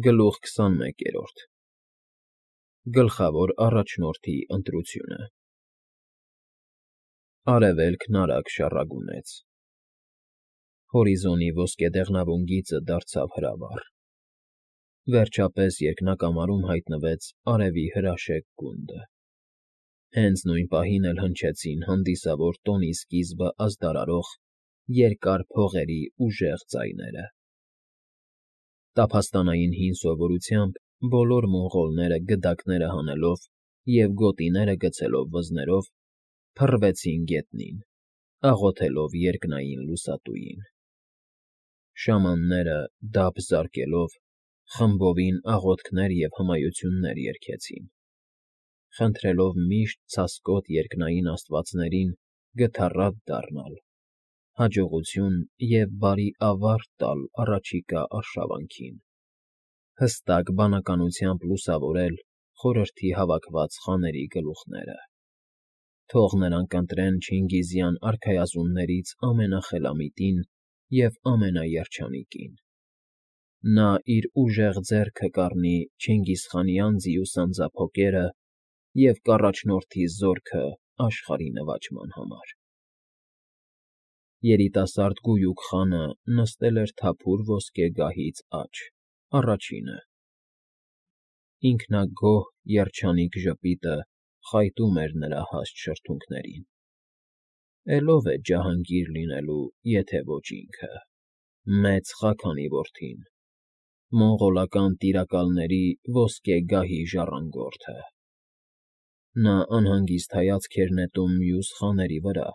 Գլուխ 21 Գլխավոր առաջնորդի ընտրությունը Արևելքն արագ շառագունեց։ Հորիզոնի ոսկեդեղնավուն գիծը դարձավ հրավառ։ Վերջապես երկնակամարում հայտնվեց արևի հրաշեկ գունդը։ Հենց նույն պահին էլ հնչեցին հանդիսավոր տոնի սկիզբը ազդարարող երկար փողերի ուժեղ ձայները։ Տափաստանային հին սովորությամբ բոլոր մոնղոլները գդակները հանելով և գոտիները գցելով վզներով փռվեցին գետնին, աղոթելով երկնային լուսատուին։ Շամանները, դափ զարկելով, խմբովին աղոթքներ և հմայություններ երգեցին, խնդրելով միշտ ցասկոտ երկնային աստվածներին գթառատ դառնալ, հաջողություն և բարի ավարտ տալ առաջիկա արշավանքին, հստակ բանականությամբ լուսավորել խորհրդի հավաքված խաների գլուխները, թող նրանք ընտրեն չինգիզյան արքայազններից ամենախելամիտին և ամենաերջանիկին։ Նա իր ուժեղ ձեռքը կառնի Չինգիզխանի անձի ու սանձափոկերը և կառաջնորդի զորքը աշխարհի նվաճման համար։ Երիտասարդ գույուկ խանը նստել էր թափուր ոսկե գահից աջ, առաջինը։ Ինքնագոհ, երջանիկ ժպիտը խայտում էր նրա հաստ շրթունքներին։ Էլ ո՞վ է ջահանգիր լինելու, եթե ոչ ինքը, Մեծ Խաքանի որդին, մոնղոլական տիրակալների ոսկե գահի ժառանգորդը։ Նա անհանգիստ հայացք էր նետում մյուս խաների վրա,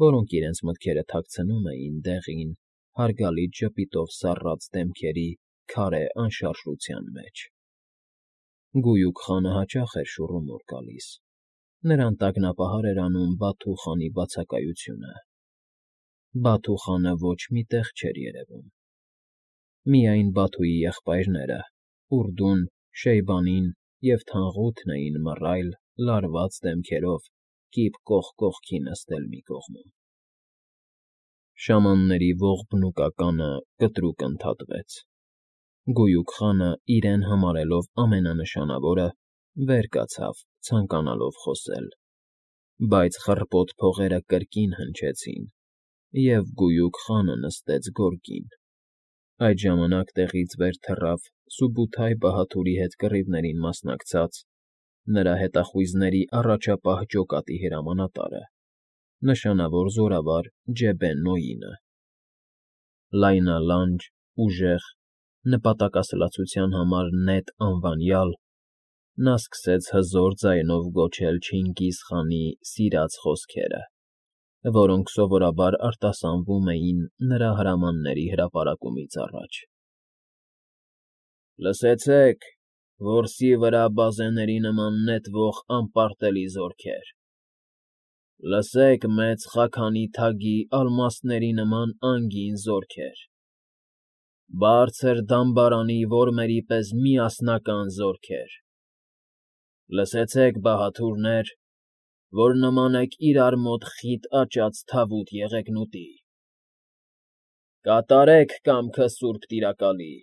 որոնք իրենց մտքերը թաքցնում էին դեղին, հարգալից ժպիտով սառած դեմքերի քարե անշարժության մեջ։ Գույուկ խանը հաճախ էր շուռումուռ գալիս, նրան տագնապահար էր անում Բաթու խանի բացակայությունը։ Բաթու խանը ոչ մի տեղ չէր երևում։ Միայն Բաթուի եղբայրները՝ Ուրդուն, Շեյբանին և Թանղութն էին մռայլ, լարված դեմքերով կիպ կողք կողքի նստել մի կողմում։ Շամանների ողբնուկականը կտրուկ ընդհատվեց։ Գույուկ խանը, իրեն համարելով ամենանշանավորը, վեր կացավ, ցանկանալով խոսել, բայց խռպոտ փողերը կրկին հնչեցին, և գույուկ խանը նստեց գորգին։ Այդ ժամանակ տեղից վեր թռավ Սուբութայ բահադուրի հետ կռիվներին մասնակցած, նրա հետախույզների առաջապահ ջոկատի հրամանատարը, նշանավոր զորավար Ջեբեն֊Նոյինը։ Լայնալանջ, ուժեղ, նպատակասլացության համար նետ անվանյալ, նա սկսեց հզոր ձայնով գոչել Չինգիզ խանի սիրած խոսքերը, որոնք սովորաբար արտասանվում էին նրա հրամանների հրապարակումից առաջ. Լսեցեք, որսի վրա բազեների նման նետվող անպարտելի զորքեր, լսեք Մեծ Խաքանի թագի ալմաստների նման անգին զորքեր, բարձր դամբարանի որմերի պես միասնական զորքեր, լսեցեք բահադուրներ, որ նման եք իրար մոտ խիտ աճած թավուտ եղեգնուտի, կատարեք կամքը սուրբ տիրակալի,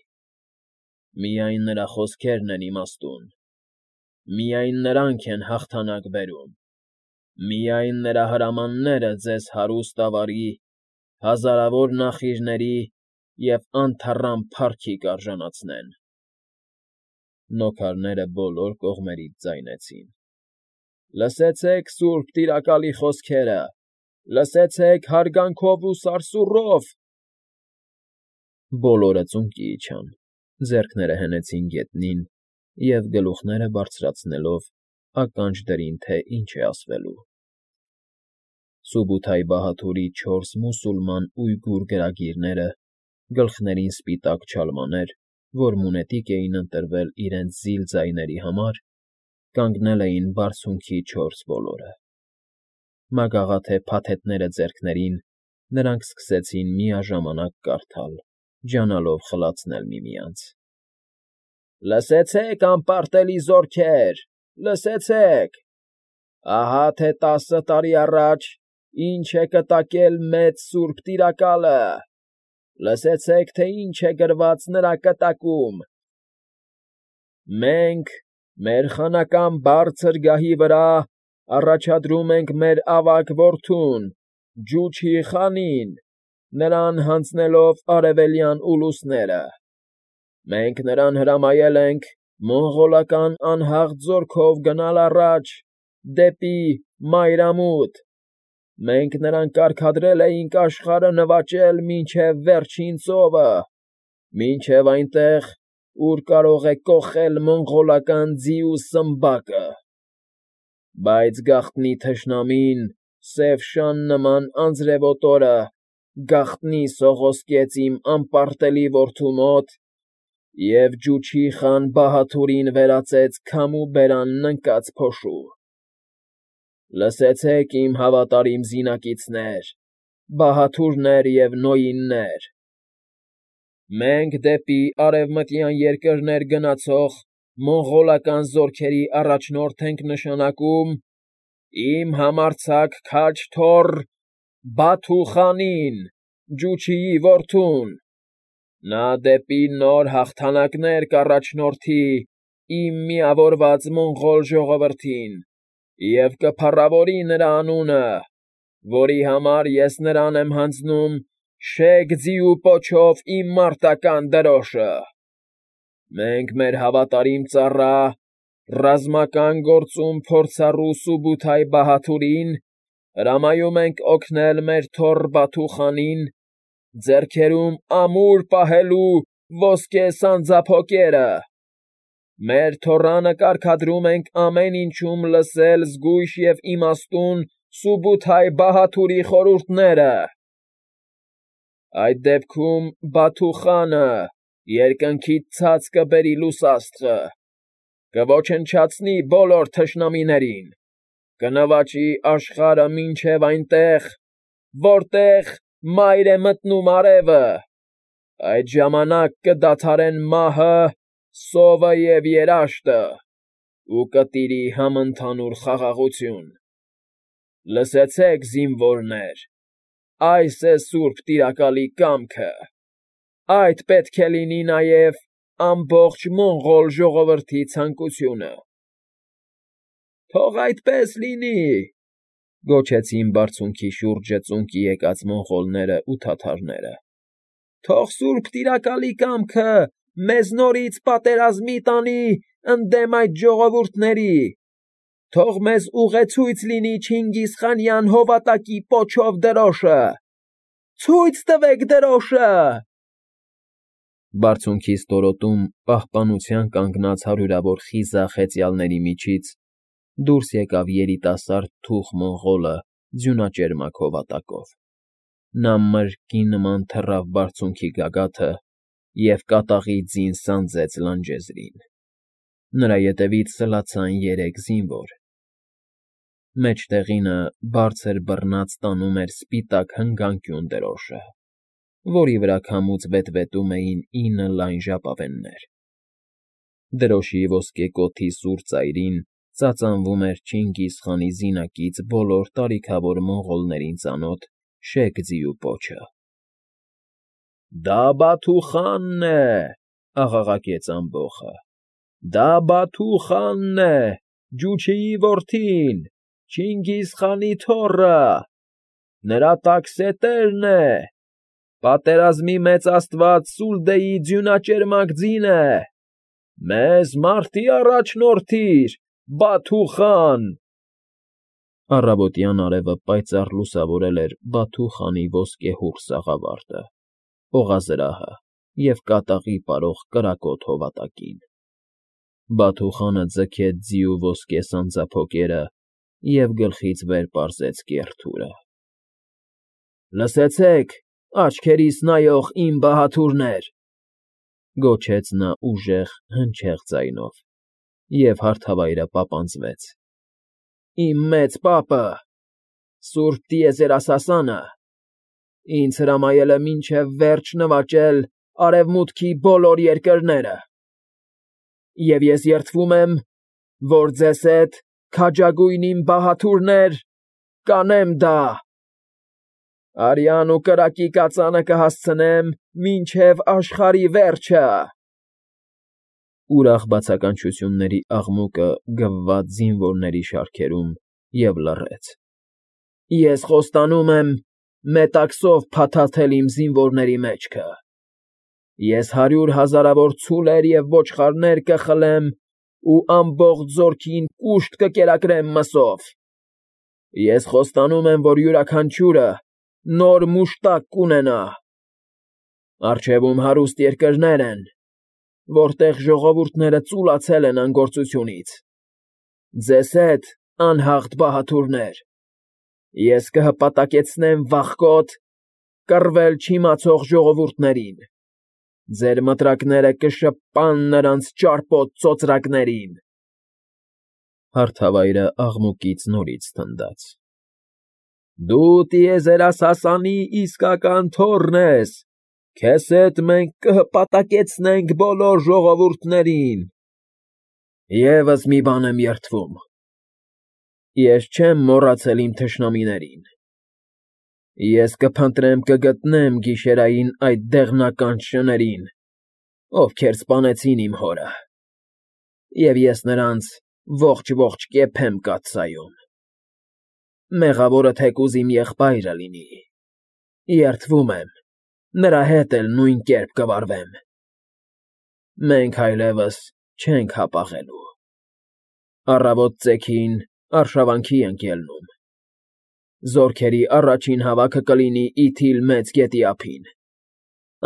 միայն նրա խոսքերն են իմաստուն, միայն նրանք են հաղթանակ բերում, միայն նրա հրամանները ձեզ հարուստ ավարի, հազարավոր նախիրների և անթառամ փառքի կարժանացնեն։ Նոքարները բոլոր կողմերից ձայնեցին. Լսեցեք սուրբ տիրակալի խոսքերը, լսեցեք հարգանքով ու սարսուռով։ Բոլորը ծունկի իջան, ձեռքները հենեցին գետնին և գլուխները բարձրացնելով ականջ դրին, թե ինչ է ասվելու։ Սուբութայ բահադուրի 4 մուսուլման ույգուր գրագիրները, գլխներին սպիտակ չալմաներ, որ մունետիկ էին ընտրվել իրենց զիլ ձայների համար, կանգնել էին բարձունքի 4 ոլորը։ Մագաղաթե փաթեթները ձեռքներին, նրանք սկսեցին միաժամանակ կարդալ, ջանալով խլացնել միմյանց. Լսեցեք, անպարտելի զորքեր, լսեցեք, ահա թե 10 տարի առաջ ինչ է կտակել մեծ սուրբ տիրակալը, լսեցեք, թե ինչ է գրված նրա կտակում, Մենք մեր խանական բարձր գահի վրա առաջադրում ենք մեր ավագ որդուն, Ջուչի խանին, նրան հանձնելով արևելյան ուլուսները։ Մենք նրան հրամայել ենք մոնղոլական անհաղ ձորքով գնալ առաջ, դեպի մայրամուտ։ Մենք նրան կարգադրել էինք աշխարհը նվաճել մինչև վերջին ծովը, մինչև այնտեղ, ուր կարող է կոխել մոնղոլական ձիու սմբակը։ Բայց գաղտնի թշնամին, սև շան նման անձրևոտորը, գաղտնի սողոսկեց իմ անպարտելի որդու մոտ և Ջուչի խան Բահաթուրին վերածեց քամու բերանն ընկած փոշու։ Լսեցեք, իմ հավատարիմ զինակիցներ, բահաթուրներ և նոյիններ. մենք դեպի արևմտյան երկրներ գնացող մոնղոլական զորքերի առաջնորդ ենք նշանակում իմ համարձակ քաջ թոռ Բաթու խանին, Ջուչիի որդուն։ Նա դեպի նոր հաղթանակներ կառաջնորդի իմ միավորված մոնղոլ ժողովրդին և կփառավորի նրա անունը, որի համար ես նրան եմ հանձնում շեկ ձիու պոչով իմ մարտական դրոշը։ Մենք մեր հավատարիմ ծառա, ռազմական գործում փորձառու Սուբութայ Բահաթուրին հրամայում ենք օգնել մեր թոռ Բաթու խանին ձեռքերում ամուր պահելու ոսկե սանձափոկերը։ Մեր թոռանը կարգադրում ենք ամեն ինչում լսել զգույշ և իմաստուն Սուբութայ Բահաթուրի խորհուրդները։ Այդ դեպքում Բաթու խանը երկնքից ցած կբերի լուսաստղը, կոչնչացնի բոլոր թշնամիներին, կնվաճի աշխարհը մինչև այնտեղ, որտեղ մայր է մտնում արևը, այդ ժամանակ կդադարեն մահը, սովը և երաշտը ու կտիրի համընդհանուր խաղաղություն։ Լսեցեք, զինվորներ, այս է սուրբ տիրակալի կամքը, այդ պետք է լինի նաև ամբողջ մոնղոլ ժողովրդի ցանկությունը։ Թող այդպես լինի, գոչեցին բարձունքի շուրջը ծունկի եկած մոնղոլները ու թաթարները։ Թող սուրբ տիրակալի կամքը մեզ նորից պատերազմի տանի ընդդեմ այդ ժողովուրդների։ Թող մեզ ուղեցույց լինի Չինգիզխանյան հովատակի պոչով դրոշը։ Ցույց տվեք դրոշը։ Բարձունքի ստորոտում պահպանության կանգնած հարյուրավոր խիզախ հեծյալների միջից դուրս եկավ երիտասարդ թուխ մոնղոլը ձյունաճերմակ հովատակով։ Նա մրրկի նման թռավ բարձունքի գագաթը և կատաղի ձին սանձեց լանջեզրին։ Նրա ետևից սլացան երեք զինվոր։ Մեջտեղինը բարձր բռնած տանում էր սպիտակ հնգանկյուն դրոշը, որի վրա քամուց վետվետում էին 9 լայն ժապավեններ։ Դրոշի ոսկե կոթի սուր ծայրին ծածանվում էր Չինգիզխանի զինակից բոլոր տարիքավոր մոնղոլներին ծանոթ շեկ ձիու պոչը։ Դա Բաթու խանն է, աղաղակեց ամբոխը։ Դա Բաթու խանն է, Ջուչիի որդին, Չինգիզխանի թոռը, նրա տաքսետերն է, պատերազմի մեծ աստված Սուլդեի ձյունաճերմակ ձինը, մեզ մարտի առաջնորդիր, Բաթու խան։ Առավոտյան արևը պայծառ լուսավորել էր Բաթու խանի ոսկեհուռ սաղավարտը, օղազրահը և կատաղի պարող կրակոտ հովատակին։ Բաթու խանը ձգեց ձիու ոսկե սանձափոկերը և գլխից վեր պարզեց կեռ թուրը։ Լսեցեք, աչքերիս նայող իմ բահաթուրներ, գոչեց նա ուժեղ, հնչեղ ձայնով, և հարթավայրը պապանձվեց։ Իմ մեծ պապը, Սուրբ Տիեզերասասանը, ինձ հրամայել է մինչև վերջ նվաճել արևմուտքի բոլոր երկրները։ Եվ ես երդվում եմ, որ ձեզ հետ, քաջագույն իմ բահաթուրներ, կանեմ դա։ Արյան ու կրակի կածանը կհասցնեմ մինչև աշխարհի վերջը։ ուրախ բացականչությունների աղմուկը գվվաց զինվորների շարքերում և լռեց։ Ես խոստանում եմ մետաքսով փաթաթել իմ զինվորների մեջքը։ Ես 100 հազարավոր ցուլեր և ոչխարներ կխլեմ ու ամբողջ զորքին կուշտ կկերակրեմ մսով։ Ես խոստանում եմ, որ յուրաքանչյուրը նոր մուշտակ կունենա։ Առջևում հարուստ երկրներ են, որտեղ ժողովուրդները ծուլացել են անգործությունից։ Ձեզ հետ, անհաղթ բահադուրներ, ես կհպատակեցնեմ վախկոտ, կռվել չիմացող ժողովուրդներին։ Ձեր մտրակները կշպան նրանց ճարպոտ ծոծրակներին։ Հարթավայրը աղմուկից նորից թնդաց։ Դու տիեզերասասանի իսկական թոռն ես, քեզ հետ մենք կհպատակեցնենք բոլոր ժողովուրդներին։ Եվս մի բան եմ երդվում. ես չեմ մոռացել իմ թշնամիներին։ Ես կփնտրեմ կգտնեմ գիշերային այդ դեղնականջ շներին, ովքեր սպանեցին իմ հորը, և ես նրանց ողջ կեփեմ կաթսայում։ Մեղավորը թեկուզ իմ եղբայրը լինի, երդվում եմ, նրա հետ էլ նույն կերպ կվարվեմ։ Մենք այլևս չենք հապաղելու։ Առավոտ ծեքին արշավանքի ենք ելնում։ Զորքերի առաջին հավաքը կլինի Իթիլ Մեծ գետի ափին։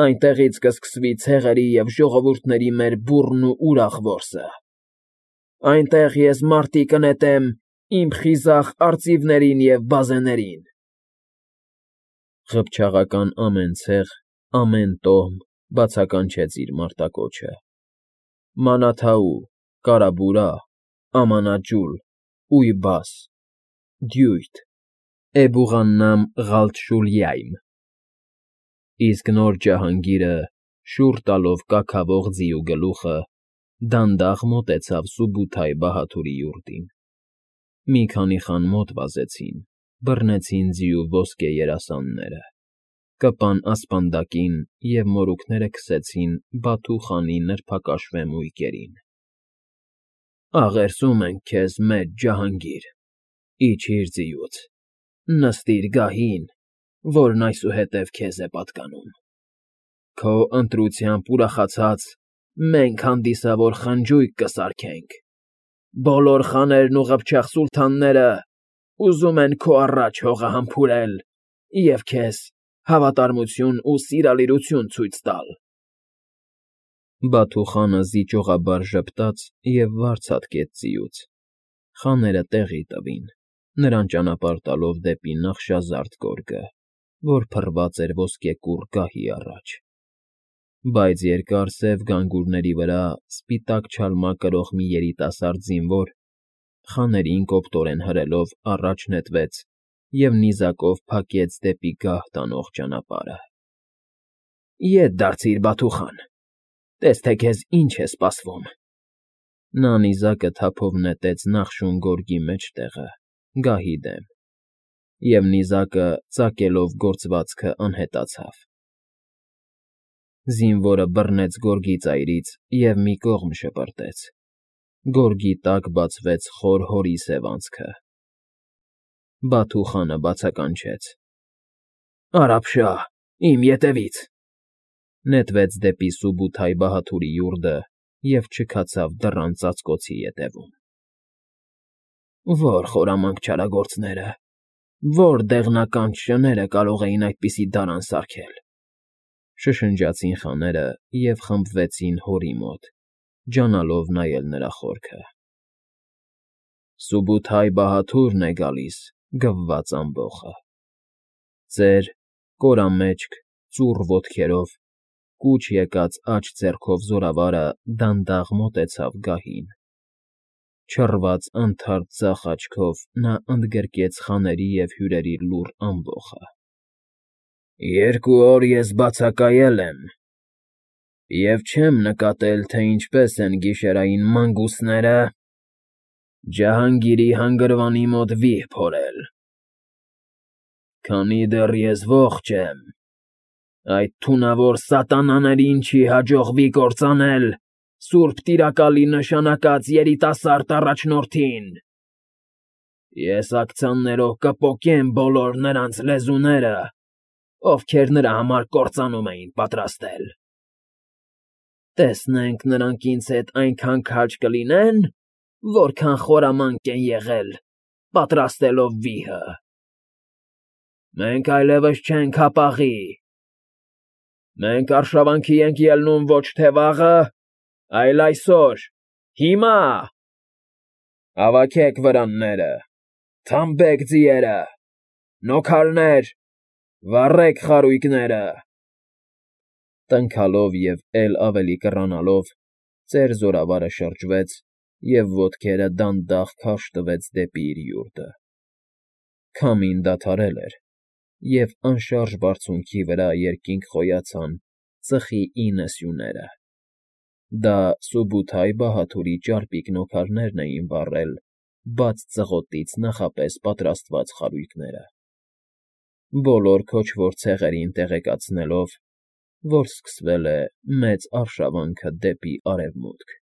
Այնտեղից կսկսվի ցեղերի և ժողովուրդների մեր բուռն ու ուրախ որսը։ Այնտեղ ես մարտի կնետեմ իմ խիզախ արծիվներին և բազեներին։ Ղփչաղական ամեն ցեղ, ամեն տոհմ բացականչեց իր մարտակոչը. Մանաթաու, Կարաբուրա, Ամանաջուլ, Ույբաս, Դյույթ, Էբուղաննամ Ղալթշուլյայմ։ Իսկ նոր ջահանգիրը, շուռ տալով կաքավող ձիու գլուխը, դանդաղ մոտեցավ Սուբութայ բահադուրի յուրտին։ Մի քանի խան մոտ վազեցին, բռնեցին ձիու ոսկե երասանները, կպան ասպանդակին և մորուքները քսեցին Բաթու խանի նրբակաշվե մույկերին։ Աղերսում ենք քեզ, մեծ ջահանգիր, իջիր ձիուց, նստիր գահին, որն այսուհետև քեզ է պատկանում։ Քո ընտրությամբ ուրախացած մենք հանդիսավոր խնջույք կսարքենք։ Բոլոր խաներն ու ղփչաղ սուլթանները ուզում են քո առաջ հողը համբուրել և քեզ հավատարմություն ու սիրալիրություն ցույց տալ։ Բաթու խանը զիջողաբար ժպտաց և վարձ հատկեց ձիուց։ Խաները տեղի տվին, նրան ճանապարհ տալով դեպի նախշազարդ գորգը, որ փռված էր ոսկեկուռ գահի առաջ։ Բայց երկար սև գանգուրների վրա սպիտակ չալմա կրող մի երիտասարդ զինվոր, խաներին կոպտորեն հրելով, առաջ նետվեց և նիզակով փակեց դեպի գահ տանող ճանապարհը։ Ետ դարձիր, Բաթու խան, տես թե քեզ ինչ է սպասվում։ Նա նիզակը թափով նետեց նախշուն գորգի մեջտեղը, գահի դեմ, և նիզակը, ծակելով գործվածքը, անհետացավ։ Զինվորը բռնեց գորգի ծայրից և մի կողմ շպրտեց։ Գորգի տակ բացվեց խոր հորի սև անցքը։ Բաթու խանը բացականչեց. Արա՛փշա, իմ ետևից։ Նետվեց դեպի Սուբութայ բահադուրի յուրտը և չքացավ դռան ծածկոցի ետևում։ Ո՞ր խորամանկ չարագործները, ո՞ր դեղնականջ շները կարող էին այդպիսի դարան սարքել։ Շշնջացին խաները և խմբվեցին հորի մոտ, ջանալով նայել նրա խորքը։ Սուբութայ բահադուրն է գալիս, գվված ամբոխը։ Ծեր, կորամեջք, ծուռ ոտքերով, կուչ եկած աջ ձեռքով զորավարը դանդաղ մոտեցավ գահին։ Չռված անթարթ ձախ աչքով նա ընդգրկեց խաների և հյուրերի լուռ ամբոխը։ 2 օր ես բացակայել եմ և չեմ նկատել, թե ինչպես են գիշերային մանգուսները ջահանգիրի հանգրվանի մոտ վիհ փորել։ Քանի դեռ ես ողջ եմ, այդ թունավոր սատանաներին չի հաջողվի կործանել Սուրբ Տիրակալի նշանակած երիտասարդ առաջնորդին։ Ես աքցաններով կպոկեմ բոլոր նրանց լեզուները, ովքեր նրա համար կործանում էին պատրաստել։ Տեսնենք նրանք ինձ հետ այնքան քաջ կլինեն, որքան խորամանկ են եղել, պատրաստելով վիհը։ Մենք այլևս չենք հապաղի։ Մենք արշավանքի ենք ելնում ոչ թե վաղը, այլ այսօր, հիմա։ Հավաքեք վրանները, թամբեք ձիերը, նոքարներ, վառեք խարույկները։ Տնքալով և էլ ավելի կռանալով, ծեր զորավարը շրջվեց և ոտքերը դանդաղ քարշ տվեց դեպի իր յուրտը։ Քամին դադարել էր, և անշարժ բարձունքի վրա երկինք խոյացան ծխի 9 սյուները։ Դա Սուբութայ բահադուրի ճարպիկ նոքարներն էին վառել բաց ծղոտից նախապես պատրաստված խարույկները, բոլոր քոչվոր ցեղերին տեղեկացնելով, որ սկսվել է մեծ արշավանքը դեպի արևմուտք։